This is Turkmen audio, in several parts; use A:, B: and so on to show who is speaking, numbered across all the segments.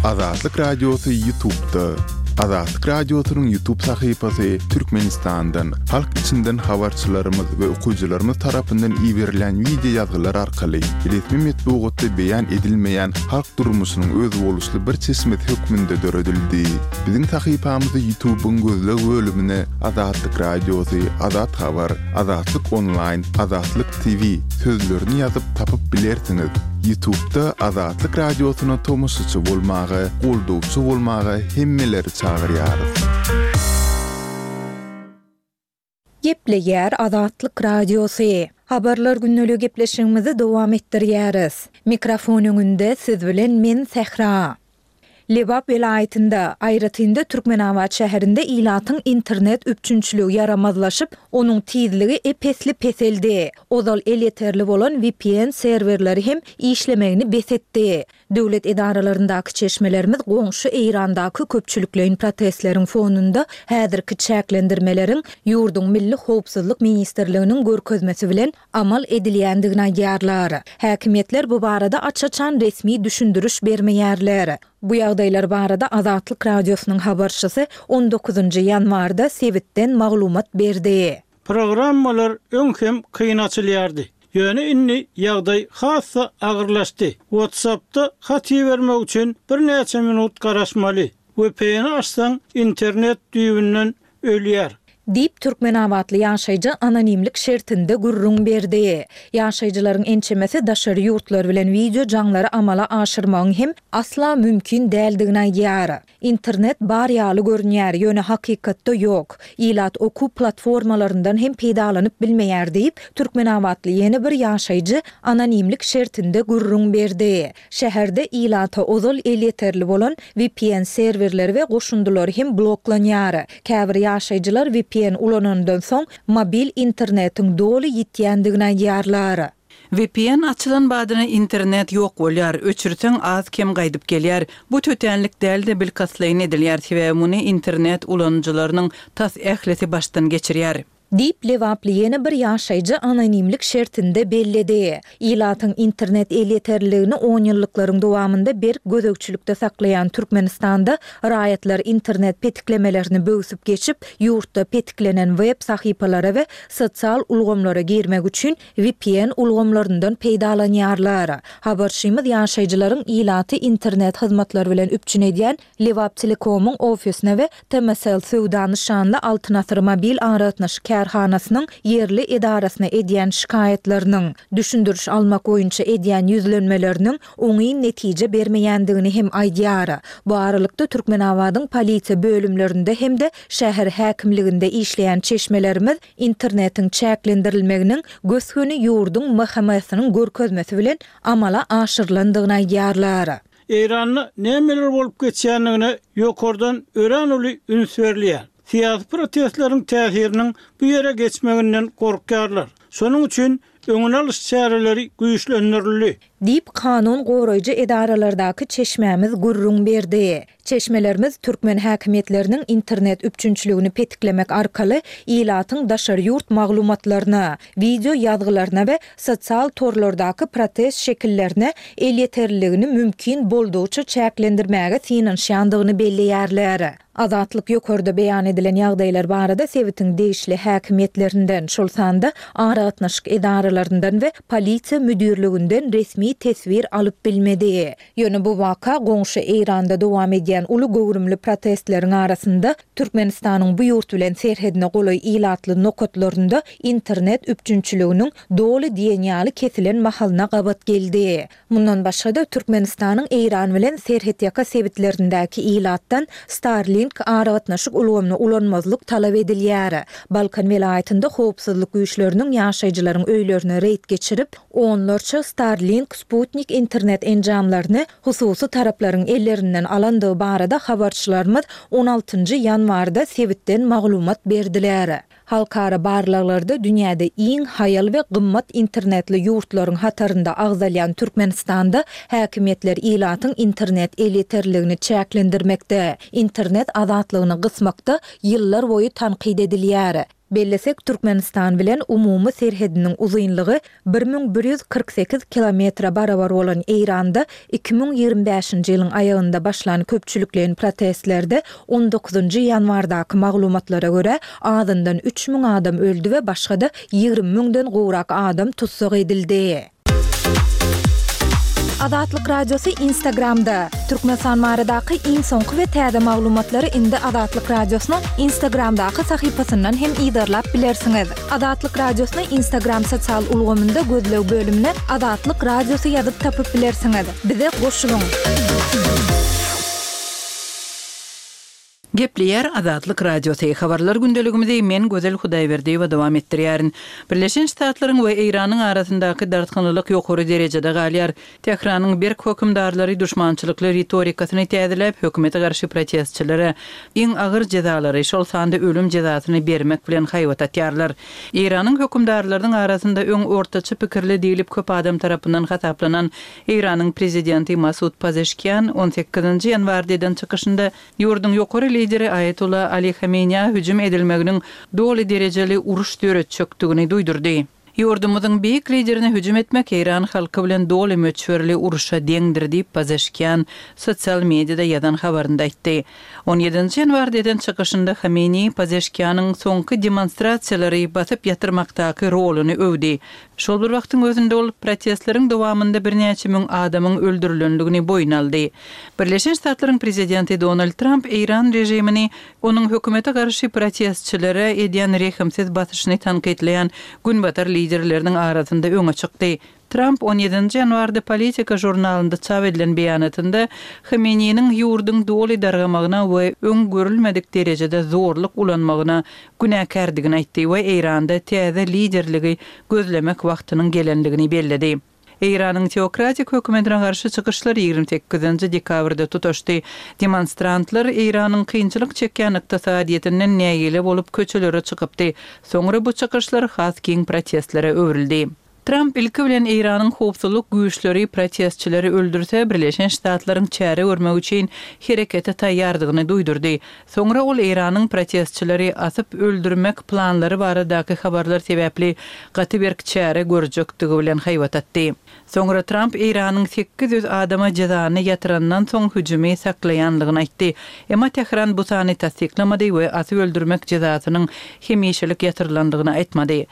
A: Azatlyk Radiosy Ýutubda. Azatlyk Radiosynyň Ýutub sahypasy Türkmenistandan, halk içinden habarçylarymyz we okyjylarymyz tarapyndan iberilen wideo ýazgylar arkaly resmi metbugatda beýan edilmeýän halk durmuşynyň özboluşly bir çeşmesi hökmünde döredildi. Biziň sahypamyzy Ýutubyň gözleg bölümine Azatlyk Radiosy, Azat Habar, Azatlyk Onlaýn, Azatlyk TV sözlerini ýazyp tapyp bilersiňiz. Ýutubda Azatlyk Radiosyna tomaşaçy bolmaga, goldawçy bolmaga hemmeleri çagyrýarys.
B: Gepleýär Azatlyk Radiosy. Habarlar gündeligi gepleşigimizi dowam etdirýäris. Mikrofon öňünde siz bilen men Sähra. Lebap welaýatynda, aýratyn-da Türkmenabat şäherinde ilatyň internet üpjünçiligi ýaramazlaşyp, onuň tizligi ep-esli peseldi. Ozal elýeterli bolan vpn serwerleri hem işlemegini bes etdi. Döwlet edaralaryndaky çeşmelerimiz goňşy Eýrandaky köpçülikleýin protestleriň fonunda häzirki çäklendirmeleriň ýurduň Milli howpsuzlyk ministrliginiň görkezmesi bilen amal edilýändigini aýdýarlar. Häkimiýetler bu barada aç-açan resmi düşündiriş bermeýärler. Bu ýagdaýlar barada Azatlyk Radiosynyň habarçysy on dokuzynjy ýanwarda sebitden maglumat berdi.
C: Programmalar öň hem kyn açylýardy. Ýöne indi ýagdaý has-da agyrlaşdy. WhatsApp-da hat ibermek üçin birnäçe minut garaşmaly. VPN-i açsaň, internet düýbünden ölýär.
B: Diýip, türkmenabatly ýaşaýjy anonimlik şertinde gürrüň berdi. Ýaşaýjylaryň ençemesi daşary ýurtlar bilen wideo jaňlary amala aşyrmagyň hem asla mümkin däldigini aýdýar. Internet bar ýaly görünýär, ýöne hakykatda ýok. Ilat okuw platformalaryndan hem peýdalanyp bilmeýär diýip, türkmenabatly ýene bir ýaşaýjy anonimlik şertinde gürrüň berdi. Şäherde ilata ozal elýeterli bolan vpn serwerleri we goşundylary hem bloklanýar. Käbir ýaşaýjylar vpn ulanandan soň mobil internetiň doly ýitýändigini aýdýarlar.
D: Vpn açylan badyna internet ýok bolýar, öçürseň az-kem gaýdyp gelýär. Bu tötänlik däl-de bilkastlaýyn edilýär, sebäbi muny internet ulanyjylarynyň tas ählisi başdan geçirýär.
B: Diýip, lebaply ýene bir ýaşaýjy anonimlik şertinde belledi. Ilatyň internet elýeterliligini onýyllyklaryň dowamynda berk gözegçilikde saklaýan Türkmenistanda raýatlar internet petiklemelerini böwsüp geçip, ýurtda petiklenen web sahypalara we sosial ulgamlara girmek üçin vpn ulgamlaryndan peýdalanýarlar. Habarçymyz ýaşaýjylaryň ilaty internet hyzmatlary bilen üpjün edýän Lebaptelekomyň ofisine we TMSL söwda nyşanly Altyn asyr mobil aragatnaşyk kärhanasynyň ýerli edarasyna edýän şikaýatlarynyň, düşündiriş almak boýunça edýän ýüzlenmeleriniň oňyn netije bermeýändigini hem aýdýar. Bu aralykda, Türkmenabadyň polisiýa bölümlerinde hem-de şäher häkimliginde işleýän çeşmelerimiz internetiň çäklendirilmeginiň gös-göni ýurduň MHM-siniň görkezmesi bilen amala aşyrylandygyny aýdýarlar.
C: Eýranda nämeler bolup geçýändigine ýokardan örän uly üns berilýär. Syýasy protestleriň täsiriniň bu ýere geçmeginden gorkýarlar. Şonuň üçin öňüni alyş çäreleri güýçlendirildi.
B: Diýip, kanun goraýjy edaralardaky çeşmämiz gürrüň berdi. Çeşmelerimiz türkmen häkimiýetleriniň internet üpjünçiligini petiklemek arkaly ilatyň daşary ýurt maglumatlaryna, wideo ýazgylaryna we sosial torlardaky protest şekillerine elýeterliligini mümkin boldugyça çäklendirmäge synanyşýandygyny belleýärler. Azatlyk ýokarda beýan edilen ýagdaýlar barada sebitiň degişli häkimiýetlerinden, şol sanda aragatnaşyk edaralaryndan we polisiýa müdirliginden resmi teswir alyp bilmedi. Ýöne bu waka goňşy Eýranda dowam edýän uly göwrümli protestleriň arasynda Türkmenistanyň bu ýurt bilen serhedine golaý ilatly nokatlarynda internet üpjünçiliginiň doly diýen ýaly kesilen mahalyna gabat geldi. Mundan başga-da, Türkmenistanyň Eýran bilen serhetýaka sebitlerindäki ilatdan Starlink aragatnaşyk ulgamyny ulanmazlyk talap edilýär. Balkan welaýatynda howpsuzlyk güýçleriniň ýaşaýjylaryň öýlerine reýd geçirip, onlarça Starlink sputnik internet enjamlaryny hususy taraplaryň ellerinden alandygy barada habarçylarymyz on altynjy ýanwarda sebitden maglumat berdiler. Halkara barlaglarda dünýäde iň haýal we gymmat internetli ýurtlaryň hatarynda agzalýan Türkmenistanda häkimiýetler ilatyň internet elýeterliligini çäklendirmekde, internet azatlygyny gysmakda ýyllar boýy tankyt edilýär. Bellesek, Türkmenistan bilen umumy serhediniň uzynlygy 1148 kilometre barabar bolan Eýranda 2025-nji ýylyň aýagynda başlan köpçülikleýin protestlerde on dokuzynjy ýanwardaky maglumatlara görä, azyndan 3000 adam öldi we başga-da 20 müňden gowrak adam tussag edildi. Azatlyk Radiosy Instagramda, Türkmenistan baradaky iň soňky we täze maglumatlary indi Azatlyk Radiosynyň Instagramdaky sahypasyndan hem yzarlap bilersiňiz. Azatlyk Radiosyny Instagram sosial ulgamynda gözleg bölümine Azatlyk Radiosy ýazyp tapyp bilersiňiz. Bize goşulyň!
D: Gepleýär Azatlyk Radiosy, Habarlar gündeligimizi men Gözel Hudaýberdiýewa dowam etdirýärin. Birleşen Ştatlaryň we Eýranyň arasyndaky dartgynlylyk ýokary derejede galýar. Tähranyň berk hökümdarlary duşmançylykly ritorikasyny täzeläp, hökümete garşy protestçilere iň agyr jezalary, şol sanda ölüm jezasyny bermek bilen haýbat atýarlar. Eýranyň hökümdarlarynyň arasynda öň ortaça pikirli diýlip köp adam tarapyndan hasaplanan Eýranyň prezidenti Masud Pazeşkian on sekizinji ýanwarda eden çykyşynda Ýurduň ýokary lideri Aýatolla Ali Hameneýä hüjüm edilmeginiň doly derejeli uruş döretjekdigini duýdurdy. Ýurdumyzyň beýik liderine hüjüm etmek eýran halky bilen doly möçberli urşa deňdir diýip, Pazeşkian sosial mediada ýazan habarynda aýtdy. On ýedinji ýanwarda eden çykyşynda Hameneýi Pazeşkianyň soňky demonstrasiýalary basyp ýatyrmakdaky roluny öwdi. Şol bir wagtyň özünde ol protestleriň dowamynda birnäçe müň adamyň öldürilendigini boýun aldy. Birleşen Ştatlaryň prezidenti Donald Tramp eýran režimini onuň hökümete garşy protestçilere edýän rehimsiz basyşyny tankytlaýan günbatar liderleriniň arasynda öňe çykdy. Tramp on ýedinji ýanwarda Politika žurnalynda çap edilen beýanatynda Hameneýiniň ýurduň doly dargamagyna we öň görülmedik derejede zorluk ulanmagyna günäkärdigini aýtdy we Eýranda täze liderligi gözlemek wagtynyň gelendigini belledi. Eýranyň teokratik hökümetine garşy çykyşlar 28-nji dekabrda tutaşdy. Demonstrantlar Eýranyň kynçylyk çekýän ykdysadyýetinden nägile bolup köçelere çykypdy. Soňra bu çykyşlar has giň protestlere öwrüldi. Tramp ilki bilen Eýranyň howpsuzlyk güýçleri protestçileri öldürse, Birleşen Ştatlaryň çäre görmek üçin herekete taýýardygyny duýdurdy. Soňra ol Eýranyň protestçileri asyp öldürmek planlary baradaky habarlar sebäpli gaty berk çäre görjekdigi bilen haýbat atdy. Soňra Tramp Eýranyň 800 adama jezany ýatyrandan soň hüjümi saklaýanlygyny aýtdy. Emma Tähran bu sany tassyklamady we asyp öldürmek jezasynyň hemişelik ýatyrylandygyny aýtmady.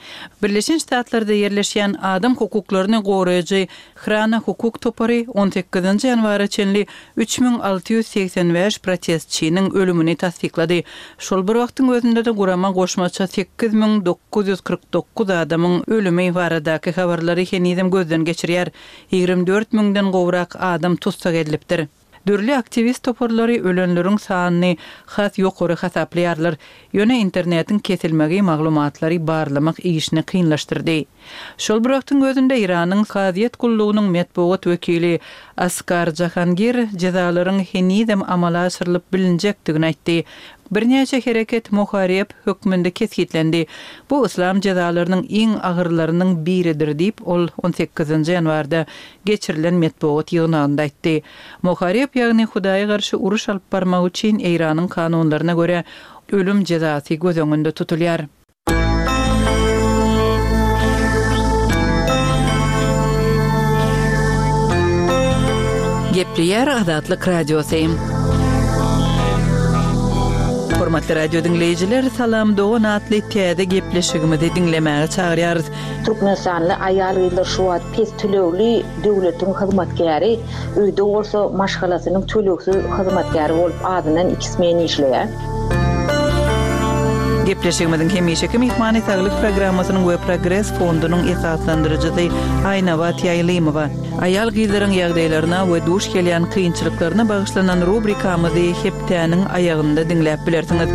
D: Birleşen Ştatlarda ýerleşýän adam hukuklaryny goraýjy Hrana hukuk topary on sekizinji ýanwara çenli 3685 protestçiniň ölümini tassyklady. Şol bir wagtyň özünde-de gurama goşmaça 8949 adamyň ölümi baradaky habarlary henizem gözden geçirýär. 24 müňden gowrak adam tussag edilipdir. Dürli aktiwist toparlary ölenleriň sanyny has ýokary hasaplaýarlar, ýöne internetiň kesilmegi maglumatlary barlamak işini kynlaşdyrdy. Şol bir wagtyň özünde Eýranyň kazyýet gullugynyň metbugat wekili Askar Jahangir jezalaryň henizem amala aşyrylyp bilinjekdigini aýtdy. Birnäçe hereket muhareb hökmünde kesgitlendi. Bu yslam jezalarynyň iň agyrlarynyň biridir diýip, ol on sekizinji ýanwarda geçirilen metbugat ýygnagynda aýtdy. Muhareb, ýagny Hudaýa garşy uruş alyp barmak üçin Eýranyň kanunlaryna görä ölüm jezasy göz öňünde tutulýar. Gepleýär Azatlyk Radiosy. Hormatly radio diňleýjiler, Salam dogan atly täze gepleşigimizi diňlemäge çagyrýarys.
E: Türkmenistanly aýal-gyzlar şu wagt pes tölegli döwletiň hyzmatkäri, öýde bolsa maşgalasynyň tölegsiz hyzmatkäri bolup azyndan iki smen işleýär.
D: Gepleşigimiziň hemişeki myhmany Saglyk programmasynyň we Progres fondunyň esaslandyryjysy Aýnabat Ýaýlymowa. Aýal-gyzlaryň ýagdaýlaryna we duş gelýän kynçylyklaryna bagyşlanan rubrikamyzy hepdäniň aýagynda diňläp bilersiňiz.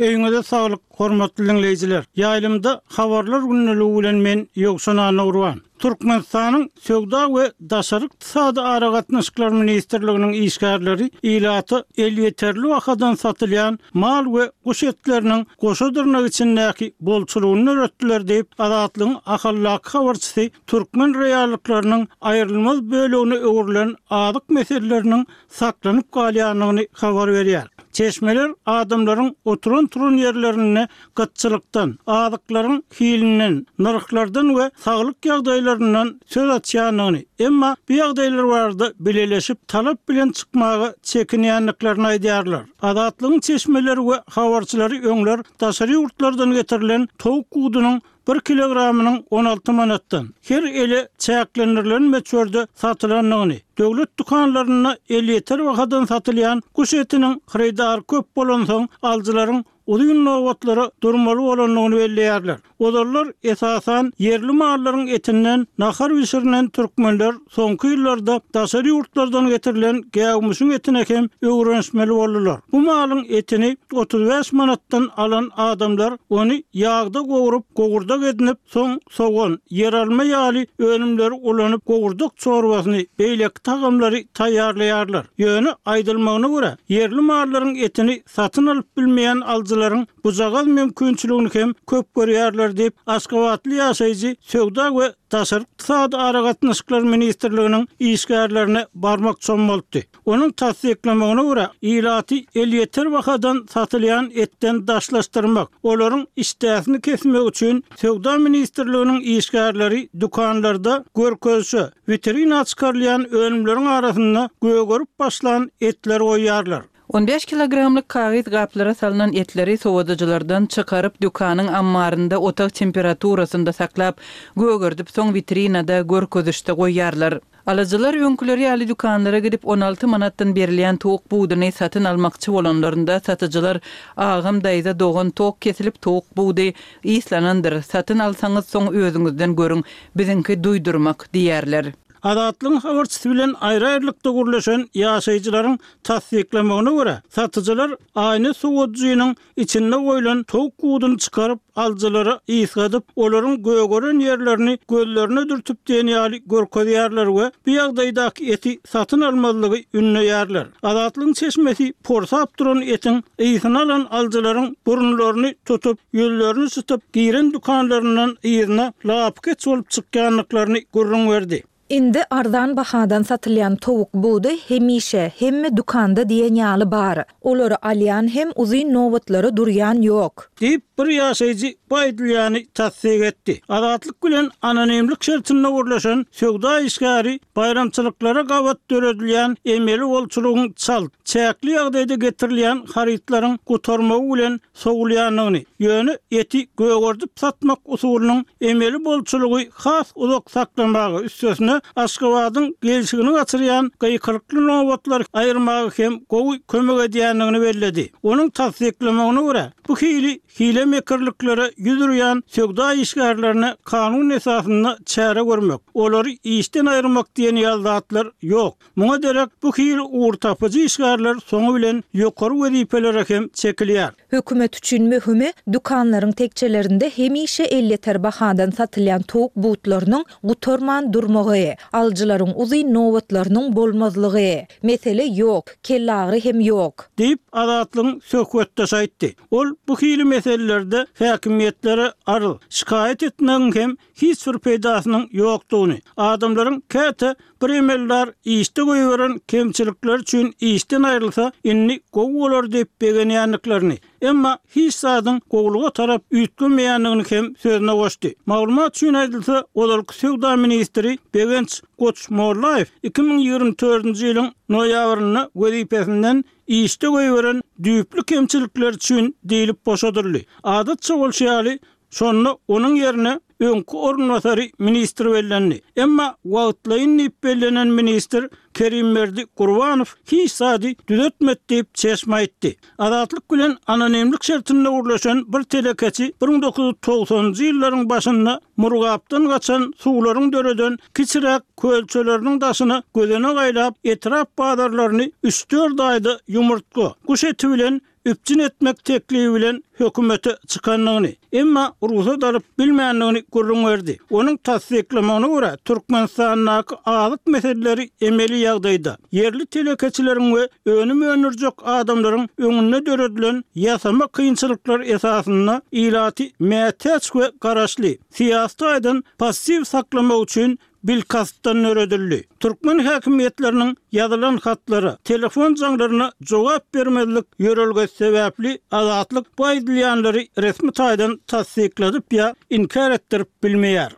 C: Öýüňize saglyk, hormatly diňleýjiler! Ýaýlymda Habarlar gündeligi bilen men Ýowşan Annagurban. Türkmenistanyň Söwda we daşary ykdysady aragatnaşyklar ministrliginiň işgärleri ilata elýeterli bahadan satylýan mal we guş etleriniň goşa dyrnak içindäki bolçulygyny döretdiler diýip, Azatlygyň Ahaldaky habarçysy türkmen reallyklarynyň aýrylmaz bölegine öwrülen azyk meseleleriniň saklanyp galýandygyny habar berýär. Çeşmeler adamlaryň oturan-turan ýerlerinde gytçylykdan, azyklaryň hilinden, nyrhlardan we saglyk ýagdaýlaryndan söz açýandygyny, emma bu ýagdaýlar barada bileleşip talap bilen çykmaga çekinýändiklerini aýdýarlar. Azatlygyň çeşmeleri we habarçylary öňler daşary ýurtlardan getirilen towuk gudunyň bir kilogramynyň 16 manatdan, her ele çäklendirilen möçberde satylandygyny, döwlet dükanlarynda elýeter bahadan satylýan guş etiniň hyrydary köp bolansoň, alyjylaryň uzyn nobatlara durmaly bolandygyny belleýärler. Ozallar, esasan, ýerli mallaryň etinden nahar bişirilen türkmenler soňky ýyllarda daşary ýurtlardan getirilen gäwmişiň etine hem öwrenişmeli boldular. Bu malyň etini 35 manatdan alan adamlar ony ýagda gowrup, gowurdak edinip, soň sogan, ýeralma ýaly önümleri ulanyp, gowurdak çorbasyny, beýleki tagamlary taýýarlaýarlar. Ýöne, aýdylmagyna görä, ýerli mallaryň etini satyn alyp bilmeýän alyjylaryň bujagaz mümkinçiligini hem köp görýärler diýip, aşgabatly ýaşaýjy Söwda we daşary ykdysady aragatnaşyklar ministrliginiň işgärlerine barmak çommaltdy. Onuň tassyklamagyna görä, ilaty elýeter bahadan satylýan etden daşlaşdyrmak, olaryň işdäsini kesmek üçin Söwda ministrliginiň işgärleri dükanlarda görkezişe, witrina çykarylýan önümleriň arasynda gögerip başlan etleri goýýarlar.
D: On bäş kilogramlyk kagyz gaplara salnan etleri sowadyjylardan çykaryp, dükanyň ammarynda otag temperaturasynda saklap, gögerdip, soň witrinada görkezişde goýýarlar. Alyjylar öňküleri ýaly dükanlara gidip, on alty manatdan berilýän towuk buduny satyn almakçy bolanlarynda, satyjylar, Agam, daýza, dogan, tok kesilip, towuk budy yslanandyr, satyn alsaňyz, soň özüňizden görüň, biziňki duýdurmak diýýärler.
C: Azatlygyň habarçysy bilen aýry-aýrylykda gürleşen ýaşaýjylaryň tassyklamagyna görä, satyjylar aýna sowadyjynyň içinde goýlan towuk buduny çykaryp, alyjylara ysgadyp, olaryň gögeren ýerlerini gözlerine dürtüp diýen ýaly görkezýärler we bu ýagdaýdaky eti satyn almazlygy ündeýärler. Azatlygyň çeşmesi porsap duran etiň ysyny alan alyjylaryň burunlaryny tutup, ýüzlerini çytyp, giren dükanlaryndan yzyna lapykeç bolup çykýandyklaryny gürrüň berdi.
B: Indi arzan bahadan satylýan towuk budy hemişe, hemme dükanda diýen ýaly bar. Olary alýan hem, uzyn nobatlara durýan ýok.
C: Diýip, bir ýaşaýjy bu aýdylýany tassyk etdi. Azatlyk bilen anonimlik şertinde gürleşen söwda işgäri baýramçylyklara gabat döredilýän emeli bolçulygyň çalt, çäkli ýagdaýda getirilýän harytlaryň gutarmagy bilen sowulýandygyny, ýöne eti gögerdip satmak usulynyň emeli bolçulygy has uzak saklamaga, üstesine, Aşgabadyň gelşigini gaçyrýan gykylykly nobatlary aýyrmaga hem gowy kömek edýändigini belledi. Onuň tassyklamagyna görä, bu hili hile-mekirliklere ýüz urýan söwda işgärlerine kanun esasynda çäre görmek, olary işden aýyrmak diýen ýaly zatlar ýok. Muňa derek bu hili ugurtapyjy işgärler soňy bilen ýokary wezipelere hem çekilýär.
B: Hökümet üçin möhümi, dükanlaryň tekjelerinde hemişe elýeter bahadan satylýan towuk butlarynyň gutarman durmagy, alyjylaryň uzyn nobatlarynyň bolmazlygy. Mesele ýok, kellagyry hem ýok.
C: Diýip, Azatlygyň söhbetdeşi aýtdy. Ol bu hili meselelerde häkimiýetlere arz, şikaýat etmegiň hem hiç bir peýdasynyň ýokdugyny, adamlaryň käte bir emeldar işde goýberen kemçilikleri üçin işden aýrylsa, indi gowy bolar diýip begenýändiklerini, emma hiç zadyň gowulyga tarap üýtgemeýändigini hem sözüne goşdy. Maglumat üçin aýdylsa, ozalky söwda ministri Begenç Goçmollaýew 2024-nji ýylyň noýabrynda wezipesinden işde goýberen düýpli kemçilikleri üçin diýlip boşadyldy. Adatça bolşy ýaly, Şonda onuň ýerine öňki orunbasary ministr bellendi. Emma wagtlaýyn diýip bellenen ministr Kerimberdi Gurbanow hiç zady düzetmedi diýip, çeşme aýtdy. Azatlyk bilen anonimlik şertinde gürleşen bir telekeçi 1990-njy ýyllaryň başynda Murgapdan gaçan suwlaryň döreden kiçiräk kölçeleriniň daşyna gözenek aýlap, etrap bazarlaryny üç-dört aýda ýumurtga, guş eti bilen. üpjün etmek teklibi bilen hökümete çykandygyny, emma rugsat alyp bilmändigini gürrüň berdi. Onuň tassyklamagyna görä, Türkmenistandaky azyk meseleleri emeli ýagdaýda, ýerli telekeçileriň we önüm öndürjek adamlaryň öňünde döredilen ýasama kynçylyklar esasynda ilaty mätäç we garaşly, syýasy taýdan passiw saklamak üçin bilkastdan döredildi. Türkmen häkimiýetleriniň ýazylan hatlara, telefon jaňlaryna jogap bermezlik ýörelgesi sebäpli Azatlyk bu aýdylýanlary resmi taýdan tassykladyp ýa inkär etdirip bilmeýär.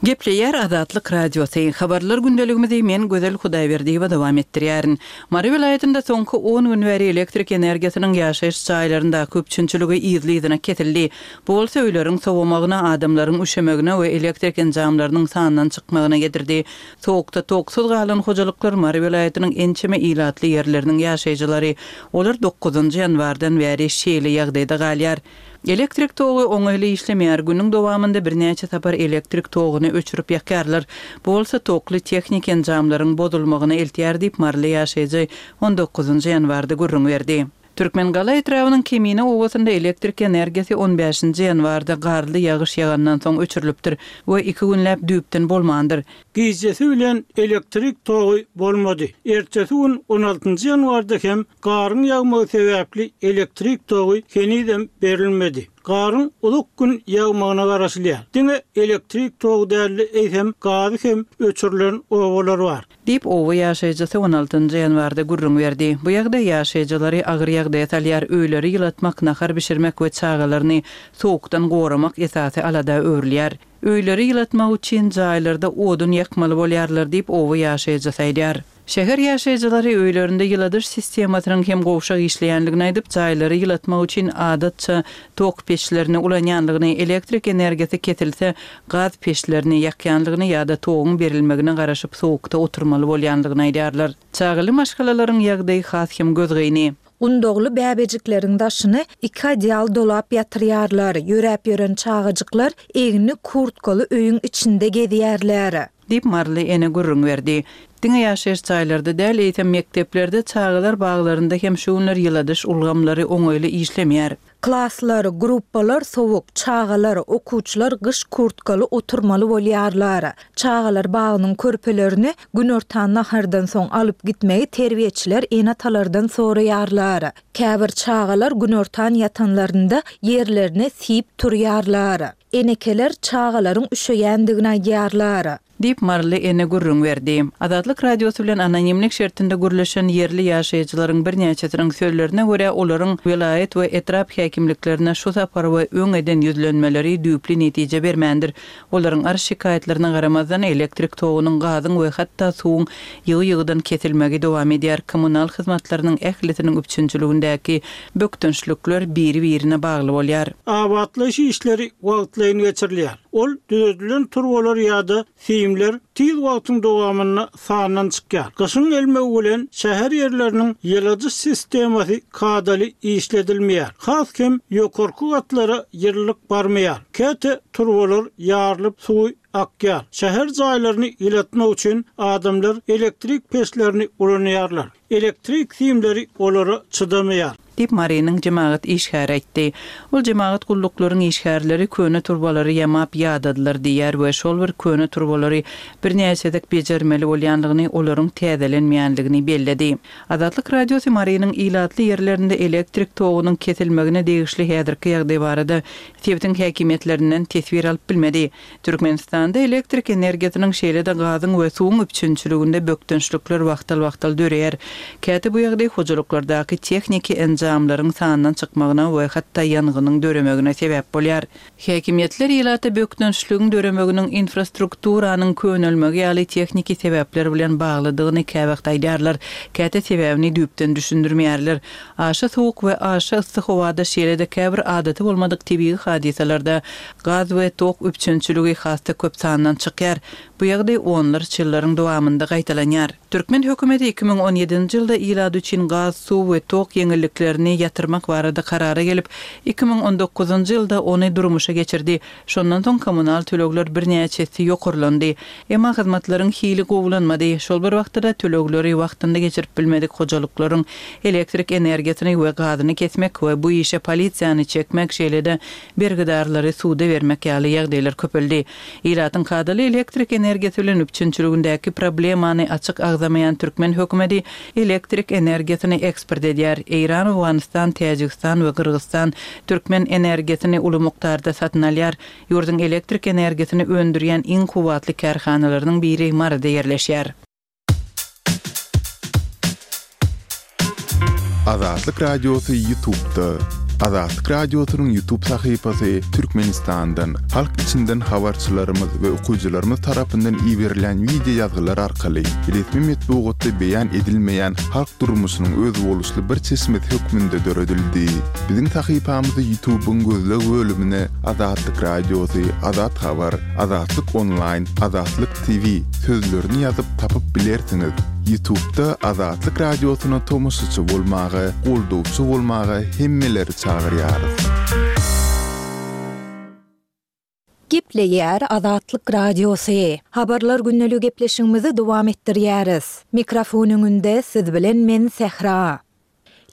D: Gepleýär Azatlyk Radiosy. Habarlar gündeligimizi men Gözel Hudaýberdiýewa dowam etdirýärin. Mary welaýatynda soňky on gün bäri elektrik energiýasynyň ýaşaýyş jaýlaryndaky üpjünçiligi yzly-yzyna kesildi. Bu bolsa öýleriň sowamagyna, adamlaryň üşemegine we elektrik enjamlarynyň sandan çykmagyna getirdi. Sowukda toksuz galan hojalyklar Mary welaýatynyň ençeme ilatly ýerleriniň ýaşaýjylary. Olar dokuzynjy ýanwardan bäri şeýle ýagdaýda galýar. Elektrik togy oňaýly işlemeýär, günüň dowamynda birnäçe sapar elektrik toguny öçürip ýakýarlar. Bu bolsa tokly tehniki enjamlaryň bozulmagyna eltýär diýip, maryly ýaşaýjy on dokuzynjy ýanwarda gürrüň berdi. Türkmengala etrabynyň Kemine obasynda elektrik energiýasy on bäşinji ýanwarda garly ýagyş ýagandan soň öçürilipdir we iki günläp düýpden bolmandyr.
C: Gijesi bilen elektrik togy bolmady. Ertesi gün on altynjy ýanwarda hem garyň ýagmagy sebäpli elektrik togy henizem berilmedi. Garyň uzak gün ýagmagyna garaşylýar. Diňe elektrik togy däl-de, eýsem gazy hem öçürilen obalar bar.
D: Diýip, oba ýaşaýjysy on altynjy ýanwarda gürrüň berdi. Bu ýagdaý ýaşaýjylary agyr ýagdaýa salýar, öýleri ýylatmak, nahar bişirmek we çagalaryny sowukdan goramak esasy alada öwrülýär. Öýleri ýylatmak üçin jaýlarda odun ýakmaly bolýarlar diýip, oba ýaşaýjysy aýdýar. Şäher ýaşaýjylary öýlerinde ýyladyş sistemasynyň hem gowşak işleýändigini aýdyp, jaýlary ýylatmak üçin adatça tok peçlerini ulanýandygyny, elektrik energiýasy kesilse, gaz peçlerini ýakýandygyny ýa-da toguň berilmegine garaşyp sowukda oturmaly bolýandygyny aýdýarlar. Çagaly maşgalalaryň ýagdaýy has hem gözgyny.
B: Gundagly bäbejikleriň daşyny iki adyal dolap ýatyrýarlar, ýöräp ýören çagajyklar egni kurtkaly öýüň içinde gezýärler.
D: Diýip, maryly ene gürrüň berdi. Diňe ýaşaýyş jaýlarda däl, eýsem, mekdeplerde, çagalar baglarynda hem şu günler ýyladyş ulgamlary oňaýly işlemeýär.
B: Klaslar, gruppalar sowuk, çagalar, okuwçylar gyş kurtkaly oturmaly bolýarlar. Çagalar bagynyň körpelerini günortan nahardan soň alyp gitmegi terbiýeçiler ene-atalardan soraýarlar. Käbir çagalar günortan ýatanlarynda ýerlerine siýip turýarlar. Enekeler çagalaryň üşeýändigini aýdýarlar.
D: Diýip, maryly ene gürrüň berdi. Azatlyk Radiosy bilen anonimlik şertinde gürleşen ýerli ýaşaýjylaryň birnäçesiniň sözlerine görä, olaryň welaýat we etrap häkimliklerine şu sapar we öň eden ýüzlenmeleri düýpli netije bermändir. Olaryň arz-şikaýatlaryna garamazdan, elektrik togunyň, gazyň we hatda suwuň ýygy-ýygydan kesilmegi dowam edýär, kommunal hyzmatlarynyň ählisiniň üpjünçiligindäki bökdençlikler biri-birine bagly bolýar.
C: Abatlaýyş işleri wagtlaýyn geçirilýär. Ol düzedilen turbalar ýa-da simler tiz wagtyň dowamynda sandan çykýar. Gyşyň gelmegi bilen şäher ýerleriniň ýyladyş sistemasy kadaly işledilmeýär. Has hem ýokarky gatlara ýylylyk barmaýar. Käte turbalar ýarylyp suwy akýar. Şäher jaýlaryny ýylatmak üçin adamlar elektrik peçlerini ulanýarlar. Elektrik simleri olara çydamaýar.
D: Diýip, Marynyň jemagat işgäri aýtdy. Ol jemagat gulluklaryň işgärleri köne turbalary ýamap ýadadylar diýýär we şol bir köne turbalary birnäçe gezek bejermeli bolýandygyny, olaryň täzelenmeýändigini belledi. Azatlyk Radiosy Marynyň ilatly ýerlerinde elektrik togunyň kesilmegine degişli häzirki ýagdaý barada sebitiň häkimiýetlerinden teswir alyp bilmedi. Türkmenistanda elektrik energiýasynyň, şeýle-de gazyň we suwuň üpjünçiliginde bökdençlikler wagtal-wagtal döreýär. Käte bu ýagdaý hojalyklardaky tehniki enjamlaryň sandan çykmagyna we hatda ýangynyň döremegine sebäp bolýar. Häkimiýetler ilata bökdençligiň döremeginiň infrastrukturanyň könelmegi ýaly tehniki sebäpler bilen baglydygyny käwagt aýdýarlar, käte sebäbini düýpden düşündirmeýärler. Aşa sowuk we aşa yssy howada şeýle-de käbir adaty bolmadyk tebigy hadysalarda gaz we tok üpjünçiligi has-da köp sandan çykýar. Bu ýagdaý onlarça ýyllaryň dowamynda gaýtalanýar. Türkmen hökümeti 2017-nji ýylda ilat üçin gaz, suw we tok ýeňilliklerini ýatyrmak barada karara gelip, 2019-njy ýylda ony durmuşa geçirdi. Şondan soň kommunal tölegler birnäçe esse ýokarlandy. Emma hyzmatlaryň hili gowulanmady. Şol bir wagtda-da tölegleri wagtynda geçirip bilmedik hojalyklaryň elektrik energiýasyny we gazyny kesmek we bu işe polisiýany çekmek, şeýle-de bergidarlary suda bermek ýaly ýagdaýlar köpeldi. Ilatyň kadaly elektrik energiýasy bilen üpjünçiligindäki problemany açyk agzamaýan türkmen hökümeti elektrik energiýasyny eksport edýär. Eýran, Owganystan, Täjigistan we Gyrgyzystan türkmen energiýasyny uly mukdarda satyn alýar. Ýurduň elektrik energiýasyny öndürýän iň kuwwatly kärhanalarynyň biri Maryda ýerleşýär.
A: Azatlyk Radiosy Ýutubda. Azatlyk Radiosynyň Ýutub sahypasy Türkmenistandan, halk içinden habarçylarymyz we okyjylarymyz tarapyndan iberilýän wideo ýazgylar arkaly resmi metbugatda beýan edilmeýän halk durmuşynyň özboluşly bir çeşmesi hökmünde döredildi. Biziň sahypamyzy Ýutubyň gözleg bölümine Azatlyk Radiosy, Azat Habar, Azatlyk Onlaýn, Azatlyk TV sözlerini ýazyp tapyp bilersiňiz. Ýutubda Azatlyk Radiosyna tomaşaçy bolmaga, goldawçy bolmaga hemmeleri çagyrýarys.
B: Gepleýär Azatlyk Radiosy. Habarlar gündeligi gepleşigimizi dowam etdirýäris. Mikrofon öňünde siz bilen men Sähra.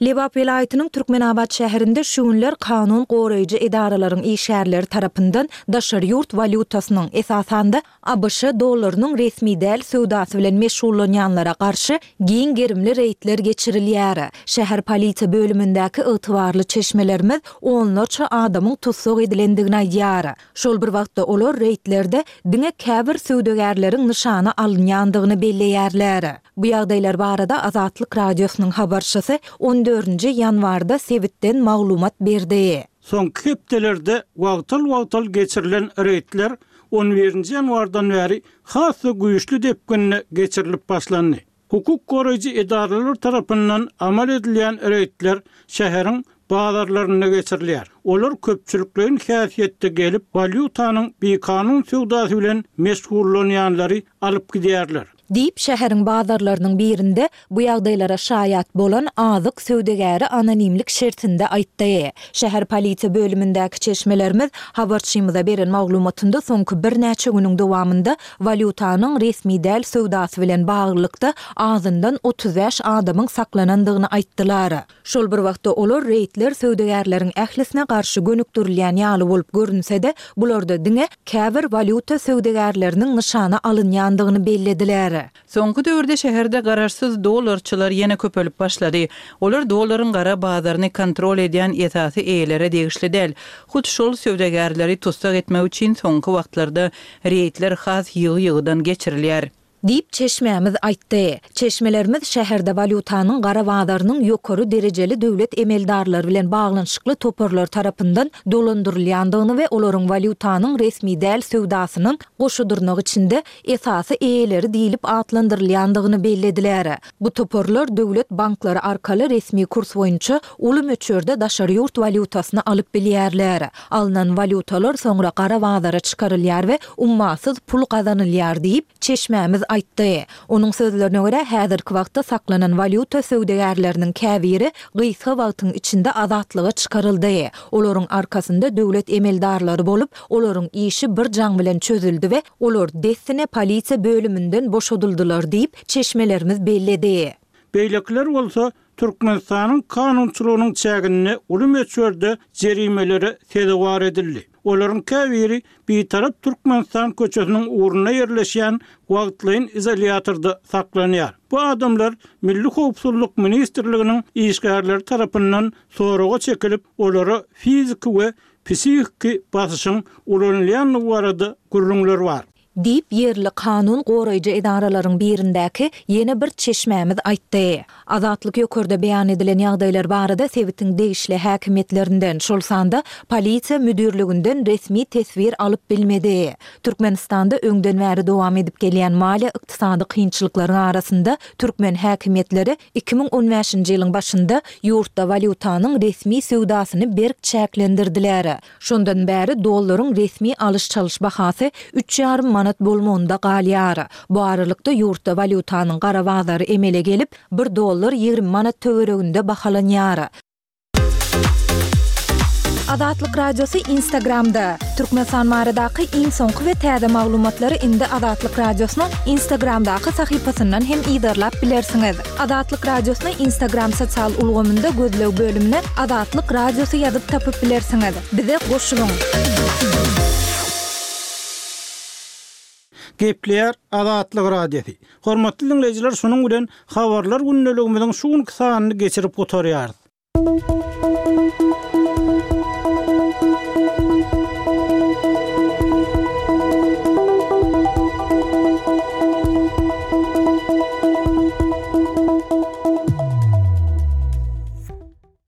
B: Lebap welaýatynyň Türkmenabat şäherinde şu günler kanun goraýjy edaralaryň işgärleri tarapyndan daşary ýurt walýutasynyň, esasan-da, abş dollarynyň resmi däl söwdasy bilen meşgullanýanlara garşy giň gerimli reýdler geçirilýär. Şäher polisiýa bölümindäki ygtybarly çeşmelerimiz onlarça adamyň tussag edilendigini aýdýar. Şol bir wagtda olar reýdlerde diňe käbir söwdagärleriň nyşana alynýandygyny belleýärler. Bu ýagdaýlar barada Azatlyk Radiosynyň habarçysy on dördünji ýanwarda sebitden maglumat berdi.
C: Soňky hepdelerde wagtal-wagtal geçirilen reýdler on birinji ýanwardan bäri has-da güýçli depginde geçirilip başlandy. Hukuk goraýjy edaralar tarapyndan amal edilýän reýdler şäheriň bazarlarynda geçirilýär. Olar köpçülikleýin häsiýetde gelip, walýutanyň bikanun söwdasy bilen meşgullanýanlary alyp gidýärler.
B: Diýip, şäheriň bazarlarynyň birinde bu ýagdaýlara şaýat bolan azyk söwdagäri anonimlik şertinde aýtdy. Şäher polisiýa bölümindäki çeşmelerimiz habarçymyza beren maglumatynda soňky birnäçe günüň dowamynda walýutanyň resmi däl söwdasy bilen baglylykda azyndan 35 adamyň saklanandygyny aýtdylar. Şol bir wagtda olar reýdler söwdagärleriň ählisine garşy gönükdirilýän ýaly bolup görünse-de, bularda diňe käbir walýuta söwdagärleriniň nyşana alynýandygyny bellediler.
D: Soňky döwürde şäherde garaşsyz dollarçylar ýene köpelip başlady. Olar dollaryň gara bazaryny kontrol edýän esasy eýelere degişli däl. Hut şol söwdagärleri tussag etmek üçin soňky wagtlarda reýdler has ýygy-ýygydan geçirilýär.
B: Diýip, çeşmämiz aýtdy. Çeşmelerimiz şäherde walýutanyň gara bazarynyň ýokary derejeli döwlet emeldarlary bilen baglanyşykly toparlar tarapyndan dolandyrylýandygyny we olaryň walýutanyň resmi däl söwdasynyň goşa dyrnak içinde esasy eýeleri diýlip atlandyrylýandygyny bellediler. Bu toparlar döwlet banklary arkaly resmi kurs boýunça uly möçberde daşary ýurt walýutasyny alyp bilýärler. Alnan walýutalar soňra gara bazara çykarylýar we ummasyz pul gazanylýar diýip, çeşmämiz aýtdy. Onuň sözlerine görä, häzirki wagtda saklanan walýuta söwdagärleriniň käbiri gysga wagtyň içinde azatlyga çykaryldy. Olaryň arkasynda döwlet emeldarlary bolup, olaryň işi bir jaň bilen çözüldi we olar dessine polisiýa bölüminden boşadyldylar diýip, çeşmelerimiz belledi.
C: Beýlekiler bolsa Türkmenistanyň kanunçylygynyň çäginde uly möçberde jerimelere sezewar edildi. Olaryň käbiri Bitarap Türkmenistan köçesiniň ugrunda ýerleşýän wagtlaýyn izolýatorda saklanýar. Bu adamlar Milli howpsuzlyk ministrliginiň işgärleri tarapyndan soraga çekilip, olara fiziki we psihiki basyşyň ulanylýandygy barada gürrüňler bar.
B: Diýip, ýerli kanun goraýjy edaralaryň birindäki ýene bir çeşmämiz aýtdy. Azatlyk ýokarda beýan edilen ýagdaýlar barada sebitiň degişli häkimiýetlerinden, şol sanda polisiýa müdirliginden resmi teswir alyp bilmedi. Türkmenistanda öňden bäri dowam edip gelýän maliýe-ykdysady kynçylyklaryň arasynda türkmen häkimiýetleri 2015-nji ýylyň başynda ýurtda walýutanyň resmi söwdasyny berk çäklendirdiler. Şondan bäri dollaryň resmi alyş-çalyş bahasy üç ýarym manat bolmagynda galýar. Bu aralykda ýurtda walýutanyň gara bazary emele gelip, bir dollar 20 manat töwereginde bahalanýar. Azatlyk Radiosy Instagramda, Türkmenistan baradaky iň soňky we täze maglumatlary indi Azatlyk Radiosynyň Instagramdaky sahypasyndan hem yzarlap bilersiňiz. Azatlyk Radiosyny Instagram sosial ulgamynda gözleg bölümine Azatlyk Radiosy ýazyp tapyp bilersiňiz. Bize goşulyň!
C: Gepleýär Azatlyk Radiosy. Hormatly diňleýjiler şunuň bilen Habarlar gündeligimiziň şu günki sanyny geçirip gutarýarys.